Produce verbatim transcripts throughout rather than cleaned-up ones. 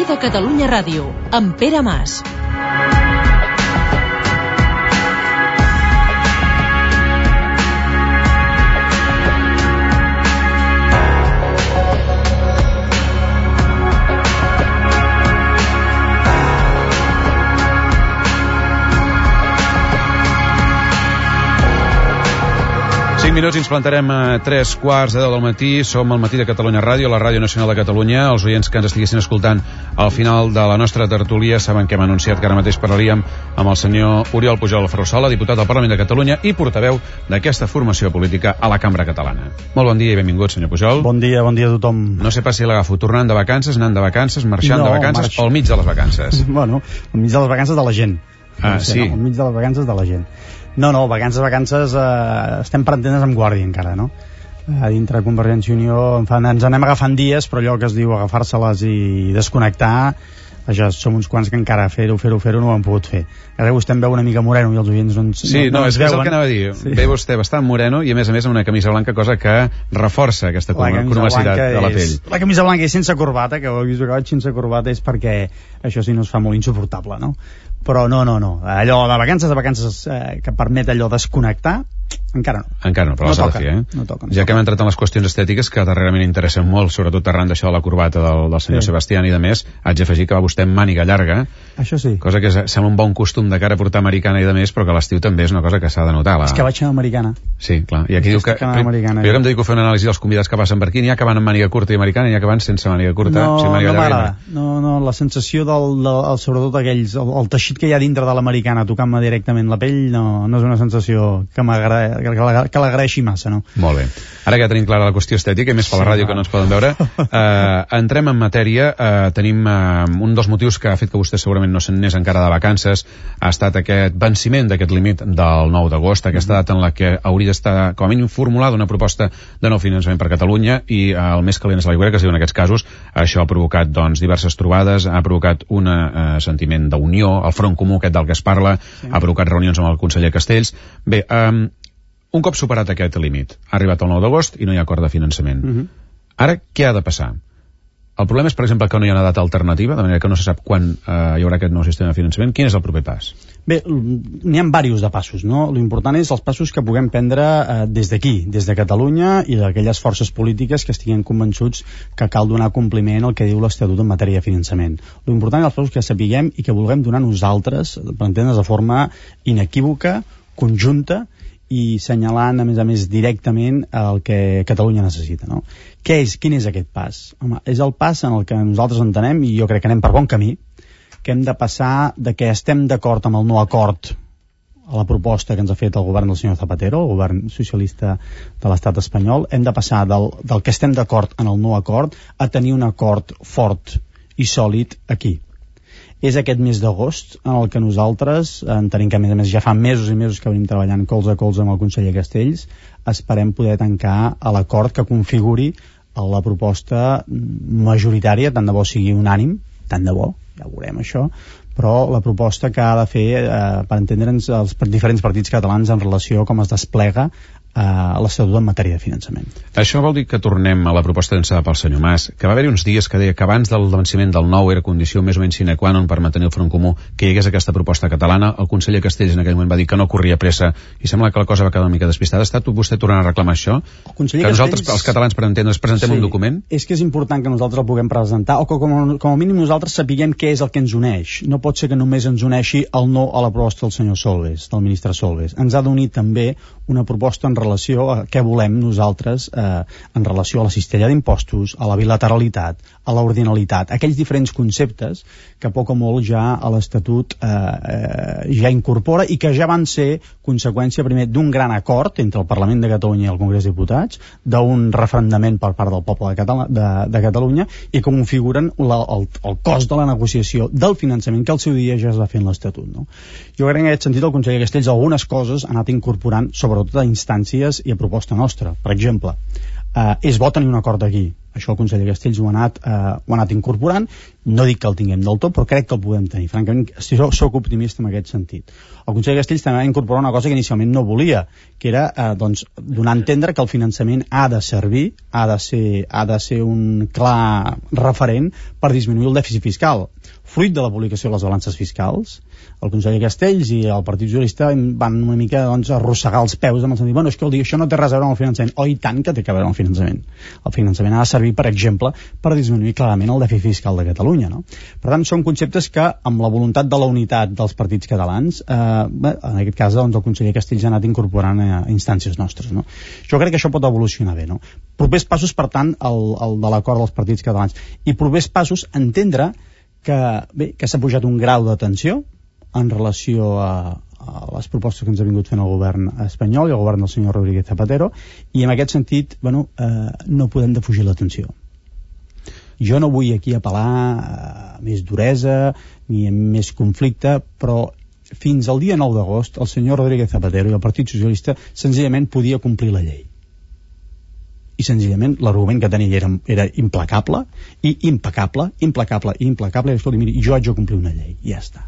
Matí de Catalunya Ràdio, amb Pere Mas. cinc minuts i ens plantarem a tres quarts de deu del matí. Som al Matí de Catalunya Ràdio, la Ràdio Nacional de Catalunya. Els oients que ens estiguessin escoltant al final de la nostra tertúlia saben que hem anunciat que ara mateix parlaríem amb el senyor Oriol Pujol Ferrusola, diputat del Parlament de Catalunya i portaveu d'aquesta formació política a la Cambra Catalana. Molt bon dia i benvingut, senyor Pujol. Bon dia, bon dia a tothom. No sé pas si l'agafo tornant de vacances, anant de vacances, marxant no, de vacances marx... o al mig de les vacances. Bueno, al mig de les vacances de la gent. Ah, no sé, sí. No, al mig de les vacances de la gent. No, no, vacances, vacances, eh, estem per entendre's amb guàrdia encara, no? A dintre de Convergència i Unió en fan, ens anem agafant dies, però allò que es diu agafar-se-les i desconnectar, ja som uns quants que encara fer-ho, fer-ho, fer-ho no ho han pogut fer. Ara vostè em veu una mica moreno i els oients no ens Sí, no, no, no és, és el que anava a dir. Sí. Ve vostè bastant moreno i a més a més amb una camisa blanca, cosa que reforça aquesta cromacitat de la pell. És, la camisa blanca és sense corbata, que ho he vist que vaig sense corbata, és perquè això sí no es fa molt insuportable, no? Però no, no, no. Allò de vacances, de vacances eh, que permet allò desconnectar, encara no. Encara no, però no toca, de fer, eh? No toca, no ja toca. que hem entrat en les qüestions estètiques que darrerament interessen molt, sobretot arran d'això de la corbata del, del senyor sí. Sebastián i de més, haig d'afegir que va vostè amb màniga llarga, això sí. Cosa que sembla un bon costum de cara a portar americana i de més, però que a l'estiu també és una cosa que s'ha de notar. La... És que vaig anar americana. Sí, clar. I aquí diu que... Americana, jo que em dedico a fer una anàlisi dels convidats que passen per aquí, n'hi ha que van amb màniga curta i americana i n'hi ha que van sense màniga curta. No, o sigui, màniga no llarga. m'agrada. No, no, la sensació del, del, del sobretot aquells, el, el teixit que hi ha dintre de l'americana tocant-me directament la pell, no, no és una sensació que l'agraeixi massa, no? Molt bé. Ara que ja tenim clara la qüestió estètica, i més per la ràdio que no ens poden veure, eh, entrem en matèria. Eh, tenim eh, un dels motius que ha fet que vostè segurament no se'n n'és encara de vacances, ha estat aquest venciment d'aquest límit del nou d'agost, aquesta data en la que hauria d'estar, com a mínim, formulada una proposta de nou finançament per Catalunya, i eh, el més calent és l'aigüera, que es diu en aquests casos. Això ha provocat doncs, diverses trobades, ha provocat un eh, sentiment d'unió, el front comú aquest del que es parla, sí. Ha provocat reunions amb el conseller Castells. Bé, eh, un cop superat aquest límit, ha arribat el nou d'agost i no hi ha acord de finançament. Uh-huh. Ara, què ha de passar? El problema és, per exemple, que no hi ha una data alternativa, de manera que no se sap quan eh, hi haurà aquest nou sistema de finançament. Quin és el proper pas? Bé, n'hi ha diversos de passos, no? L'important és els passos que puguem prendre eh, des d'aquí, des de Catalunya i d'aquelles forces polítiques que estiguin convençuts que cal donar compliment al que diu l'Estatut en matèria de finançament. L'important és els passos que sapiguem i que vulguem donar nosaltres, per entendre's de forma inequívoca, conjunta, i senyalant, a més a més, directament el que Catalunya necessita, no? Què és, quin és aquest pas? Home, és el pas en el que nosaltres entenem, i jo crec que anem per bon camí, que hem de passar de que estem d'acord amb el no acord a la proposta que ens ha fet el govern del senyor Zapatero, el govern socialista de l'estat espanyol, hem de passar del, del que estem d'acord en el no acord a tenir un acord fort i sòlid aquí. És aquest mes d'agost en el que nosaltres, entenem que a més a més ja fa mesos i mesos que venim treballant colze a colze amb el conseller Castells, esperem poder tancar a l'acord que configuri la proposta majoritària, tant de bo sigui unànim, tant de bo, ja veurem això, però la proposta que ha de fer, eh, per entendre'ns, els diferents partits catalans en relació a com es desplega a l'Estatut en matèria de finançament. Això vol dir que tornem a la proposta llançada pel senyor Mas, que va haver-hi uns dies que deia que abans del venciment del nou era condició més o menys sine qua non per mantenir el front comú que hi hagués aquesta proposta catalana. El conseller Castells en aquell moment va dir que no corria pressa i sembla que la cosa va quedar una mica despistada. Està vostè tornant a reclamar això? Que nosaltres, els catalans, per entendre's, presentem sí, un document? És que és important que nosaltres el puguem presentar, o que com a, com a mínim nosaltres sapiguem què és el que ens uneix. No pot ser que només ens uneixi el no a la proposta del senyor Solbes, del ministre Solbes. Ens ha d'unir també una proposta en relació a què volem nosaltres eh, en relació a la cistella d'impostos, a la bilateralitat, a l'ordinalitat, aquells diferents conceptes que poc o molt ja a l'Estatut eh, eh, ja incorpora i que ja van ser conseqüència primer d'un gran acord entre el Parlament de Catalunya i el Congrés de Diputats, d'un referendament per part del poble de, Catala, de, de Catalunya i que configuren la, el, el cost de la negociació del finançament que al seu dia ja es va fer en l'Estatut, no? Jo crec que en aquest sentit el conseller Castells algunes coses ha anat incorporant sobretot a instàncies i a proposta nostra. Per exemple, eh, és bo tenir un acord aquí, Això el conseller Castells ho ha anat, eh, ho ha anat incorporant. No dic que el tinguem del tot, però crec que el podem tenir. Francament, soc, soc optimista en aquest sentit. El conseller Castells també va incorporar una cosa que inicialment no volia, que era eh, doncs, donar a entendre que el finançament ha de servir, ha de ser, ha de ser un clar referent per disminuir el dèficit fiscal. Fruit de la publicació de les balances fiscals, el conseller Castells i el Partit Socialista van una mica doncs, arrossegar els peus amb el sentit, bueno, és que el dir, això no té res a veure amb el finançament. Oh, i tant que té a veure amb el finançament. El finançament ha de servir, per exemple, per disminuir clarament el dèficit fiscal de Catalunya, no? Per tant, són conceptes que, amb la voluntat de la unitat dels partits catalans, eh, en aquest cas, doncs, el conseller Castells ha anat incorporant a instàncies nostres, no? Jo crec que això pot evolucionar bé, no? Propers passos, per tant, el, el de l'acord dels partits catalans. I propers passos, entendre que, bé, que s'ha pujat un grau de tensió en relació a, a les propostes que ens ha vingut fent el govern espanyol i el govern del senyor Rodríguez Zapatero, i en aquest sentit, bueno, eh, no podem defugir la tensió. Jo no vull aquí apel·lar a més duresa ni a més conflicte, però fins al dia nou d'agost el senyor Rodríguez Zapatero i el Partit Socialista senzillament podia complir la llei. I senzillament l'argument que tenia era, era implacable i impecable, implacable i implacable, i escolti, miri, jo haig de complir una llei, i ja està.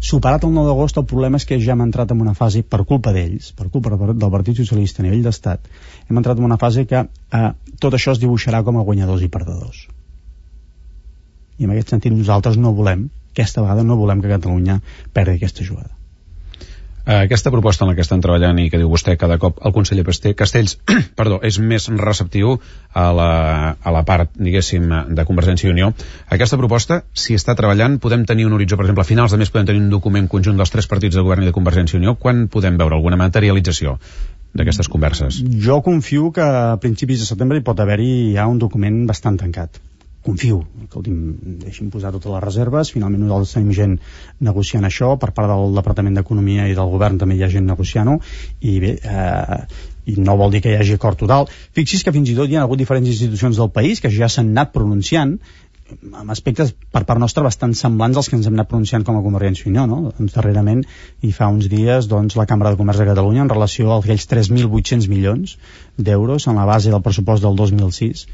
Superat el nou d'agost, el problema és que ja hem entrat en una fase, per culpa d'ells, per culpa del Partit Socialista a nivell d'estat, hem entrat en una fase que eh, tot això es dibuixarà com a guanyadors i perdedors. I en aquest sentit nosaltres no volem, aquesta vegada no volem que Catalunya perdi aquesta jugada. Aquesta proposta en la que estan treballant i que diu vostè cada cop el conseller Castells perdó, és més receptiu a la, a la part, diguéssim, de Convergència i Unió. Aquesta proposta, si està treballant, podem tenir un horitzó, per exemple, a finals de mes podem tenir un document conjunt dels tres partits de govern i de Convergència i Unió. Quan podem veure alguna materialització d'aquestes converses? Jo confio que a principis de setembre hi pot haver-hi ja un document bastant tancat. Confio, escolti'm, deixi'm posar totes les reserves, finalment nosaltres tenim gent negociant això, per part del Departament d'Economia i del Govern també hi ha gent negociant-ho, i bé, eh, i no vol dir que hi hagi acord total. Fixi's que fins i tot hi ha hagut diferents institucions del país que ja s'han anat pronunciant amb aspectes per part nostra bastant semblants als que ens hem anat pronunciant com a Convergència i Unió, no? Doncs darrerament, i fa uns dies, doncs, la Cambra de Comerç de Catalunya, en relació a aquells tres mil vuit-cents milions d'euros en la base del pressupost del dos mil sis,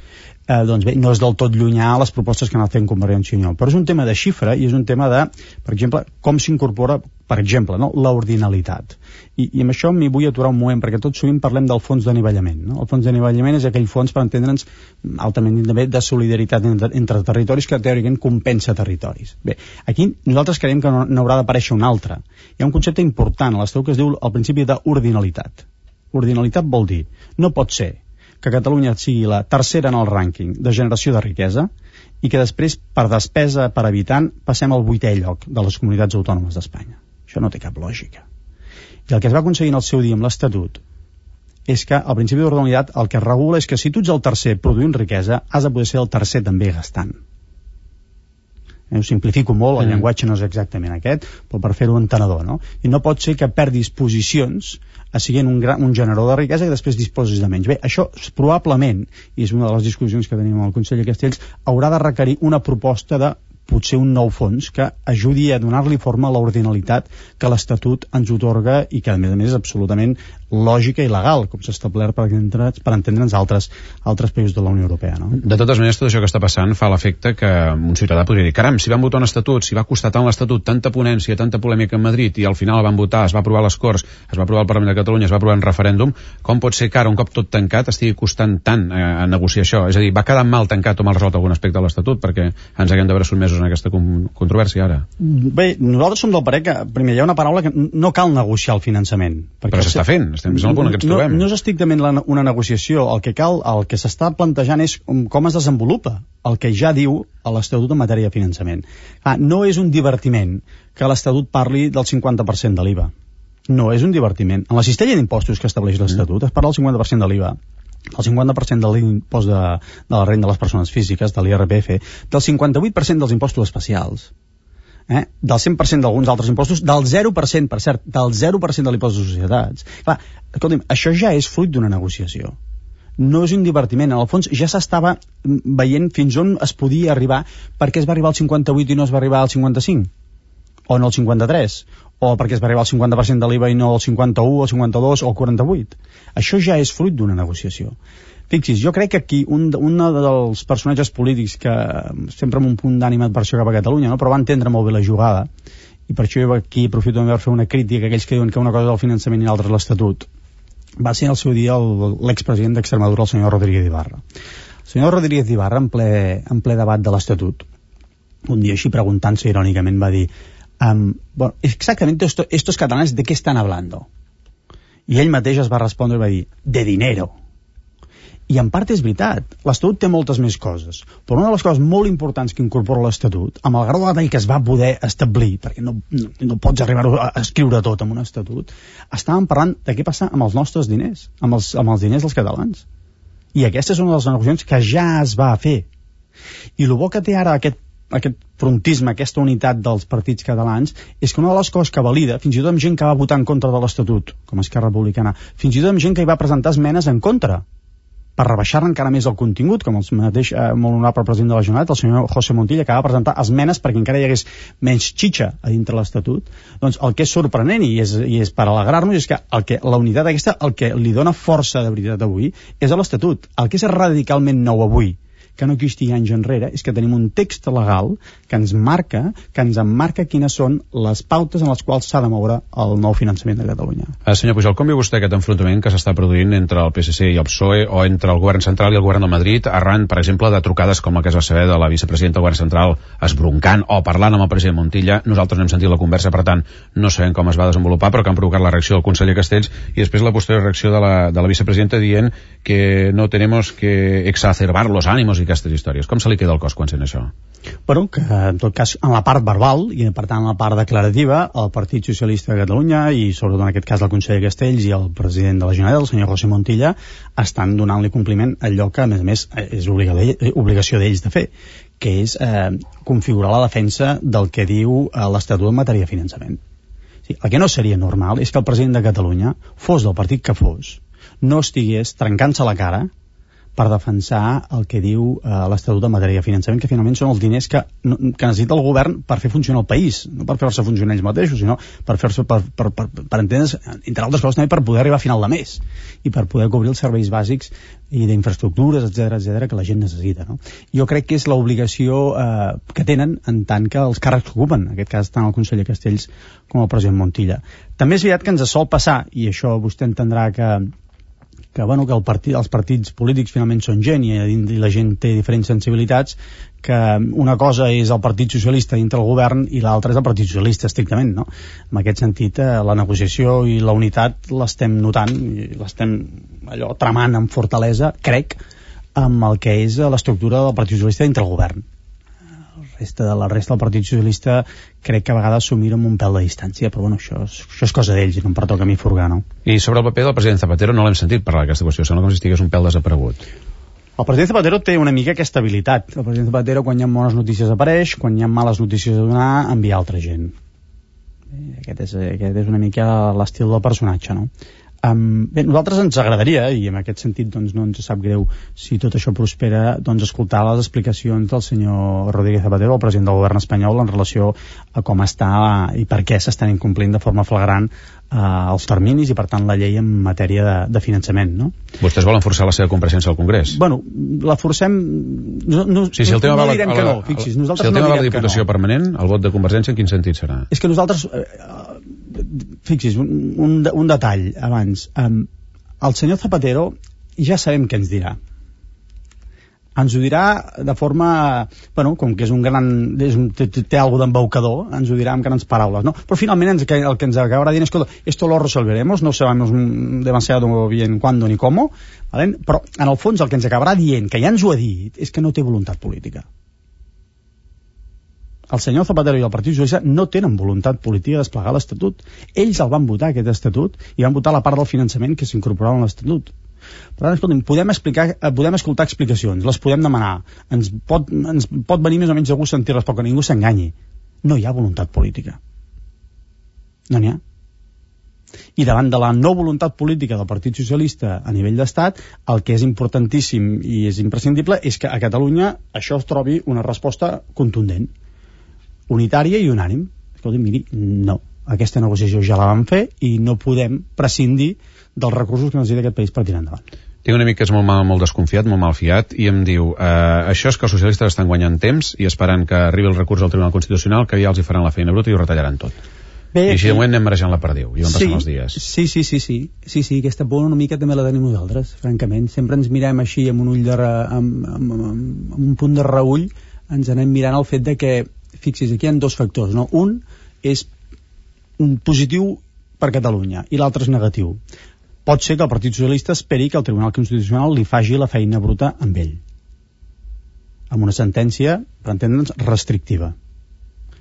eh, doncs bé, no és del tot llunyà a les propostes que han anat fent Convergència i Unió, però és un tema de xifra i és un tema de, per exemple, com s'incorpora, per exemple, no? L'ordinalitat. I, i amb això m'hi vull aturar un moment, perquè tot sovint parlem del fons d'anivellament, no? El fons d'anivellament és aquell fons, per entendre'ns, altament també de solidaritat entre, entre territoris que teòricament compensa territoris. Bé, aquí nosaltres creiem que n'haurà d'aparèixer un altre. Hi ha un concepte important a l'Estatut que es diu el principi d'ordinalitat. Ordinalitat vol dir, no pot ser que Catalunya sigui la tercera en el rànquing de generació de riquesa i que després, per despesa per habitant, passem al vuitè lloc de les comunitats autònomes d'Espanya. Això no té cap lògica. I el que es va aconseguir en el seu dia amb l'Estatut és que el principi d'ordinalitat el que regula és que si tu ets el tercer produint riquesa, has de poder ser el tercer també gastant. Eh, ho simplifico molt, el mm. llenguatge no és exactament aquest, però per fer-ho entenedor, no? I no pot ser que perdis posicions a siguent un, gran, un generador de riquesa i després disposis de menys. Bé, això probablement, i és una de les discussions que tenim amb el conseller Castells, haurà de requerir una proposta de potser un nou fons que ajudi a donar-li forma a l'ordinalitat que l'Estatut ens otorga i que a més a més és absolutament lògica i legal, com s'ha establert per, per entendre'ns altres, altres països de la Unió Europea, no? De totes maneres, tot això que està passant fa l'efecte que un ciutadà podria dir, caram, si van votar un estatut, si va costar tant l'estatut, tanta ponència, tanta polèmica en Madrid, i al final van votar, es va aprovar a les Corts, es va aprovar al Parlament de Catalunya, es va aprovar en referèndum, com pot ser que ara, un cop tot tancat, estigui costant tant a, a negociar això? És a dir, va quedar mal tancat o mal resolt algun aspecte de l'estatut perquè ens haguem de veure sotmesos en aquesta controvèrsia ara? Bé, nosaltres som del parer que, primer, hi ha una paraula que no cal negociar el finançament. Però s'està fent, estem vist en el punt en què ens trobem. No, no és estrictament la, una negociació, el que cal, el que s'està plantejant és com es desenvolupa el que ja diu a l'Estatut en matèria de finançament. Ah, no és un divertiment que l'Estatut parli del cinquanta per cent de l'I V A. No és un divertiment. En la cistella d'impostos que estableix l'Estatut es parla del cinquanta per cent de l'I V A, el cinquanta per cent de l'impost de, de la renda de les persones físiques, de l'I R P F, del cinquanta vuit per cent dels impostos especials, eh? del cent per cent d'alguns altres impostos, del zero per cent, per cert, del zero per cent de l'impost de societats. Clar, escolti'm, això ja és fruit d'una negociació. No és un divertiment. En el fons ja s'estava veient fins on es podia arribar, perquè es va arribar al cinquanta vuit i no es va arribar al cinquanta-cinc, o no al cinquanta-tres, o perquè es va arribar al cinquanta per cent de l'I V A i no al cinquanta-u, o al cinquanta-dos, o al quaranta-vuit. Això ja és fruit d'una negociació. Fixis, jo crec que aquí un, un dels personatges polítics que sempre amb un punt d'animadversió cap a Catalunya, no? Però va entendre molt bé la jugada, i per això jo aquí aprofito per fer una crítica a aquells que diuen que una cosa és el finançament i l'altra és l'Estatut. Va ser al seu dia l'expresident d'Extremadura, el senyor Rodríguez Ibarra. El senyor Rodríguez Ibarra, en ple, en ple debat de l'Estatut, un dia així preguntant-se irònicament va dir um, bueno, exactamente esto, estos catalanes de què estan hablando? I ell mateix es va respondre i va dir de dinero. I en part és veritat, l'Estatut té moltes més coses, però una de les coses molt importants que incorpora l'Estatut, amb el grau de detall que es va poder establir, perquè no, no, no pots arribar a escriure tot en un Estatut, estàvem parlant de què passa amb els nostres diners, amb els, amb els diners dels catalans. I aquesta és una de les negociacions que ja es va fer. I el bo que té ara aquest, aquest frontisme, aquesta unitat dels partits catalans, és que una de les coses que valida, fins i tot amb gent que va votar en contra de l'Estatut, com Esquerra Republicana, fins i tot amb gent que hi va presentar esmenes en contra, per rebaixar encara més el contingut, com el mateix eh, molt honorable president de la Generalitat, el senyor José Montilla, que va presentar esmenes perquè encara hi hagués menys xitxa a dintre l'Estatut. Doncs el que és sorprenent i és, i és per alegrar-nos és que, el que la unitat aquesta, el que li dona força de veritat avui, és a l'Estatut. El que és radicalment nou avui, que no existia anys enrere, és que tenim un text legal que ens marca, que ens emmarca quines són les pautes en les quals s'ha de moure el nou finançament de Catalunya. Uh, senyor Pujol, com viu vostè aquest enfrontament que s'està produint entre el P S C i el P S O E o entre el govern central i el govern de Madrid arran, per exemple, de trucades com la que es va saber de la vicepresidenta del govern central esbroncant o parlant amb el president Montilla? Nosaltres no hem sentit la conversa, per tant, no sabem com es va desenvolupar, però que han provocat la reacció del conseller Castells i després la posterior reacció de la, de la vicepresidenta dient que no tenemos que exacerbar los ánimos i aquestes històries. Com se li queda el cos quan sent això? Bueno, que en tot cas en la part verbal i per tant en la part declarativa el Partit Socialista de Catalunya i sobretot en aquest cas el conseller Castells i el president de la Generalitat, el senyor José Montilla, estan donant-li compliment a allò que a més a més és obligació d'ells de fer, que és eh, configurar la defensa del que diu eh, l'Estatut en matèria de finançament. Sí, el que no seria normal és que el president de Catalunya, fos del partit que fos, no estigués trencant-se la cara per defensar el que diu eh, l'Estatut en matèria de finançament, que finalment són els diners que, no, que necessita el govern per fer funcionar el país, no per fer-se funcionar ells mateixos, sinó per fer-se per, per, per, per entendre's, entre altres coses, també per poder arribar a final de mes i per poder cobrir els serveis bàsics i d'infraestructures, etcètera, etcètera, que la gent necessita, no? Jo crec que és l'obligació eh, que tenen en tant que els càrrecs que ocupen, en aquest cas tant el conseller Castells com el president Montilla. També és veritat que ens sol passar, i això vostè entendrà que que, bueno, que el partit, els partits polítics finalment són gent i, i la gent té diferents sensibilitats, que una cosa és el Partit Socialista dintre el govern i l'altra és el Partit Socialista estrictament, no? En aquest sentit, eh, la negociació i la unitat l'estem notant i l'estem allò tramant amb fortalesa, crec, amb el que és l'estructura del Partit Socialista dintre el govern. Resta de la resta del Partit Socialista crec que a vegades s'ho mira amb un pèl de distància, però bueno, això és, això és cosa d'ells i no em pertoca a mi furgar, no? I sobre el paper del president Zapatero no l'hem sentit parlar d'aquesta qüestió, sembla com si estigués un pèl desaparegut. El president Zapatero té una mica aquesta habilitat. El president Zapatero, quan hi ha bones notícies, apareix, quan hi ha males notícies a donar, envia altra gent. Aquest és, aquest és una mica l'estil del personatge, no? Um, bé, nosaltres ens agradaria, i en aquest sentit doncs, no ens sap greu si tot això prospera, doncs escoltar les explicacions del senyor Rodríguez Zapatero, el president del govern espanyol, en relació a com està i per què s'estan incomplint de forma flagrant uh, els terminis i per tant la llei en matèria de, de finançament, no? Vostès volen forçar la seva compareixença al Congrés? Bueno, la forcem... No, no, sí, si el tema no, no direm la, que no, fixis, nosaltres si el tema no va a la Diputació no. Permanent, el vot de Convergència en quin sentit serà? És que nosaltres... Uh, fixis, un, un, un detall abans, um, el senyor Zapatero ja sabem què ens dirà, ens ho dirà de forma, bueno, com que és un gran és un, té, té alguna d'embaucador, ens ho dirà amb grans paraules, no? Però finalment ens, el que ens acabarà dient és que esto lo resolveremos, no sabemos demasiado bien cuándo ni cómo, ¿vale? Però en el fons el que ens acabarà dient, que ja ens ho ha dit, és que no té voluntat política. El senyor Zapatero i el Partit Socialista no tenen voluntat política de desplegar l'Estatut. Ells el van votar, aquest Estatut, i van votar la part del finançament que s'incorporava en l'Estatut. Per tant, escolta'm, podem, explicar, podem escoltar explicacions, les podem demanar, ens pot, ens pot venir més o menys de gust sentir-les, però que ningú s'enganyi. No hi ha voluntat política. No n'hi ha. I davant de la no voluntat política del Partit Socialista a nivell d'estat, el que és importantíssim i és imprescindible és que a Catalunya això es trobi una resposta contundent, unitària i unànim. Escolti, miri, no, aquesta negociació ja la vam fer i no podem prescindir dels recursos que necessita aquest país per tirar endavant. Tinc un amic que és molt, mal, molt desconfiat, molt malfiat, i em diu, eh, això és que els socialistes estan guanyant temps i esperant que arribi el recurs al Tribunal Constitucional, que ja els hi faran la feina bruta i ho retallaran tot. Bé, I així de moment anem marejant la perdiu, i van passant sí, els dies. Sí, sí, sí, sí, sí, sí, aquesta por una mica també la tenim nosaltres, francament. Sempre ens mirem així amb un ull de re, amb, amb, amb, amb un punt de reull, ens anem mirant el fet de que, fixis, aquí hi ha dos factors, no? Un és positiu per Catalunya i l'altre és negatiu. Pot ser que el Partit Socialista esperi que el Tribunal Constitucional li faci la feina bruta amb ell, amb una sentència, per entendre'ns, restrictiva.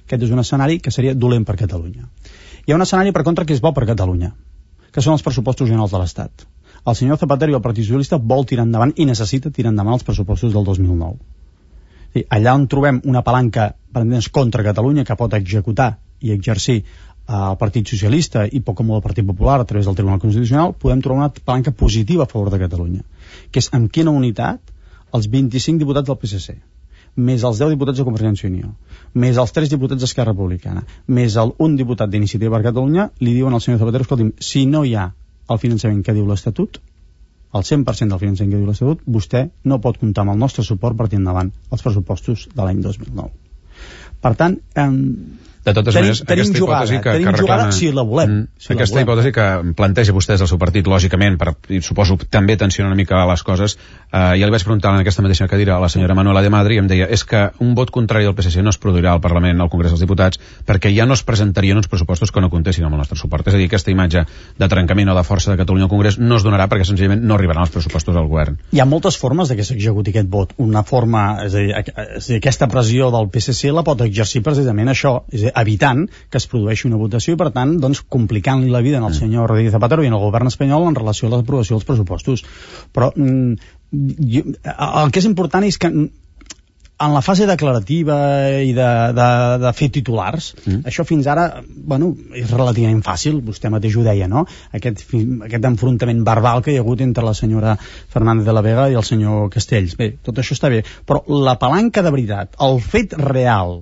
Aquest és un escenari que seria dolent per Catalunya. Hi ha un escenari, per contra, que és bo per Catalunya, que són els pressupostos generals de l'Estat. El senyor Zapatero i el Partit Socialista vol tirar endavant i necessita tirar endavant els pressupostos del dos mil nou. Sí, allà on trobem una palanca, per entendre'ns, contra Catalunya, que pot executar i exercir el Partit Socialista i poc com el Partit Popular a través del Tribunal Constitucional, podem trobar una palanca positiva a favor de Catalunya, que és amb quina unitat els vint-i-cinc diputats del P S C, més els deu diputats de Convergència i Unió, més els tres diputats d'Esquerra Republicana, més el un diputat d'Iniciativa per Catalunya, li diuen al senyor Zapatero, escolti'm, si no hi ha el finançament que diu l'Estatut, el cent per cent del finançament que diu l'Estatut, vostè no pot comptar amb el nostre suport per tirar endavant els pressupostos de l'any dos mil nou. Per tant, eh, de totes tenim, maneres, tenim aquesta jugada, hipòtesi que, tenim que reclama... jugada si la volem. Mm, si aquesta la volem. hipòtesi que planteja vostès el seu partit, lògicament, per, i suposo també tensionar una mica les coses, eh, ja li vaig preguntar en aquesta mateixa cadira a la senyora Manuela de Madri i em deia, és que un vot contrari del P S C no es produirà al Parlament, al Congrés dels Diputats, perquè ja no es presentarien uns pressupostos que no comptessin amb el nostre suport. És a dir, aquesta imatge de trencament o de força de Catalunya al Congrés no es donarà perquè senzillament no arribaran els pressupostos al govern. Hi ha moltes formes de que s'executi aquest vot. Una forma, és a dir, és a dir, aquesta pressió del P S C la pot exercir precisament això, és a dir, evitant que es produeixi una votació i, per tant, doncs, complicant-li la vida al senyor Rodríguez Zapatero i al govern espanyol en relació a l'aprovació dels pressupostos. Però mm, jo, el que és important és que en la fase declarativa i de, de, de fer titulars, mm. això fins ara, bueno, és relativament fàcil, vostè mateix ho deia, no? Aquest, aquest enfrontament verbal que hi ha hagut entre la senyora Fernández de la Vega i el senyor Castells. Bé, tot això està bé, però la palanca de veritat, el fet real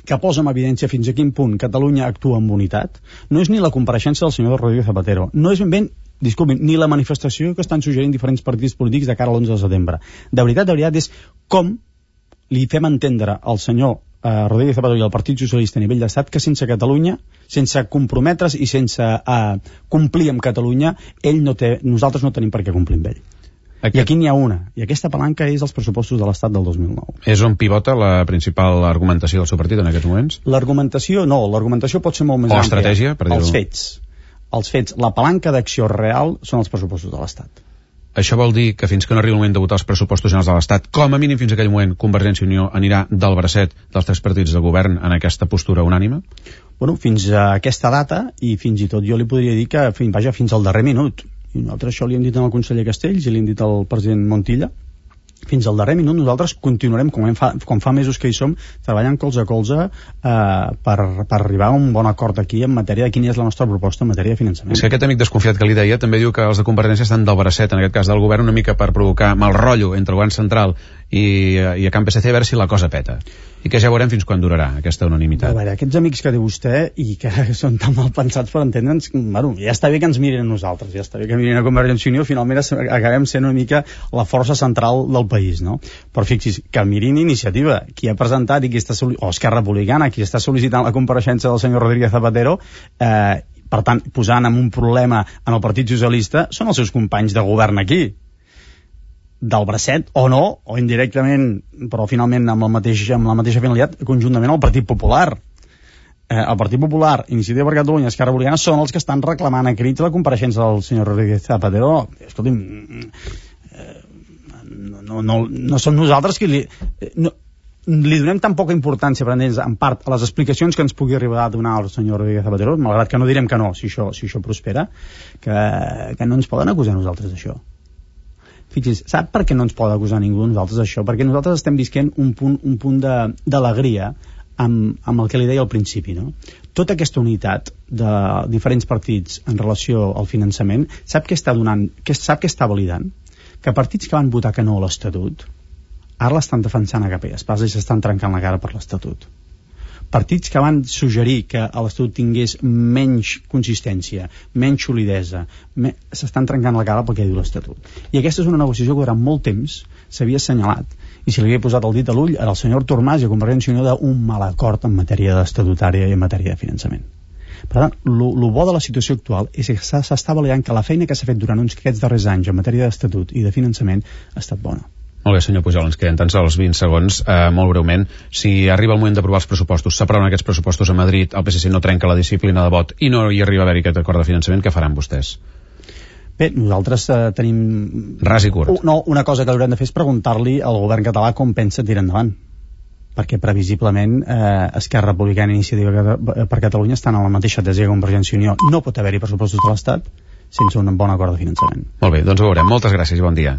que posa en evidència fins a quin punt Catalunya actua amb unitat, no és ni la compareixença del senyor Rodríguez Zapatero, no és ben ben, disculpin, ni la manifestació que estan suggerint diferents partits polítics de cara a l'onze de setembre. De veritat, de veritat, és com li fem entendre al senyor eh, Rodríguez Zapatero i al Partit Socialista a nivell d'estat que sense Catalunya, sense comprometre's i sense eh, complir amb Catalunya, ell no té, nosaltres no tenim per què complir amb ell. Aquest... I aquí n'hi ha una, i aquesta palanca és els pressupostos de l'Estat del dos mil nou. És on pivota la principal argumentació del seu partit en aquests moments? L'argumentació, no, l'argumentació pot ser molt més àmplia. O estratègia, per dir-ho. Els fets. Els fets. La palanca d'acció real són els pressupostos de l'Estat. Això vol dir que fins que no arribi el moment de votar els pressupostos generals de l'Estat, com a mínim fins a aquell moment, Convergència i Unió anirà del bracet dels tres partits de govern en aquesta postura unànime? Bueno, fins a aquesta data, i fins i tot jo li podria dir que, fins, vaja, fins al darrer minut. I nosaltres això li hem dit al conseller Castells i li hem dit al president Montilla. Fins al darrer minut nosaltres continuarem, com, fa, com fa mesos que hi som, treballant colze a colze eh, per, per arribar a un bon acord aquí en matèria de quina és la nostra proposta en matèria de finançament. És que aquest amic desconfiat que li deia també diu que els de Convergència estan del bracet, en aquest cas del govern, una mica per provocar mal rotllo entre el govern central i, i a Camp P S C, a veure si la cosa peta. I que ja veurem fins quan durarà aquesta unanimitat. A veure, aquests amics que diu vostè i que són tan mal pensats per entendre'ns, bueno, ja està bé que ens mirin a nosaltres, ja està bé que mirin a Convergència i Unió, finalment acabem sent una mica la força central del país, no? Però fixis, que mirin Iniciativa, qui ha presentat i qui està o Esquerra Republicana, qui està sol·licitant la compareixença del senyor Rodríguez Zapatero, eh, per tant, posant en un problema en el Partit Socialista, són els seus companys de govern aquí, del bracet, o no, o indirectament, però finalment amb, el mateix, amb la mateixa finalitat, conjuntament al Partit Popular. Eh, el Partit Popular, Iniciativa per Catalunya, Esquerra Republicana, són els que estan reclamant a crits la compareixença del senyor Rodríguez Zapatero. Escolti'm, eh, no, no, no, no som nosaltres qui li... No, li donem tan poca importància, per entendre's, en part, a les explicacions que ens pugui arribar a donar el senyor Rodríguez Zapatero, malgrat que no direm que no, si això, si això prospera, que, que no ens poden acusar nosaltres d'això. Fixis, sap per què no ens pot acusar ningú nosaltres d'això? Perquè nosaltres estem visquent un punt, un punt d'alegria amb, amb el que li deia al principi, no? Tota aquesta unitat de diferents partits en relació al finançament, sap què està donant, què, sap què està validant? Que partits que van votar que no a l'Estatut, ara l'estan defensant a capa i espasa i s'estan trencant la cara per l'Estatut. partits que van suggerir que l'Estatut tingués menys consistència, menys solidesa, me... s'estan trencant la cara pel que diu l'Estatut. I aquesta és una negociació que durant molt temps s'havia assenyalat, i si li havia posat el dit a l'ull al senyor Artur Mas i a Convergència i Unió d'un mal acord en matèria estatutària i en matèria de finançament. Per tant, el bo de la situació actual és que s'està validant que la feina que s'ha fet durant uns aquests darrers anys en matèria d'estatut i de finançament ha estat bona. Molt bé, senyor Pujol, ens queden tan sols vint segons. Eh, molt breument, si arriba el moment d'aprovar els pressupostos, s'aproven aquests pressupostos a Madrid, el P S C no trenca la disciplina de vot i no hi arriba a haver-hi aquest acord de finançament, què faran vostès? Bé, nosaltres eh, tenim... Ras i curt. No, una cosa que haurem de fer és preguntar-li al govern català com pensa tirar endavant, perquè previsiblement eh, Esquerra Republicana i Iniciativa per Catalunya estan a la mateixa tesi que Convergència i Unió. No pot haver-hi pressupostos de l'Estat sense un bon acord de finançament. Molt bé, doncs ho veurem. Moltes gràcies i bon dia.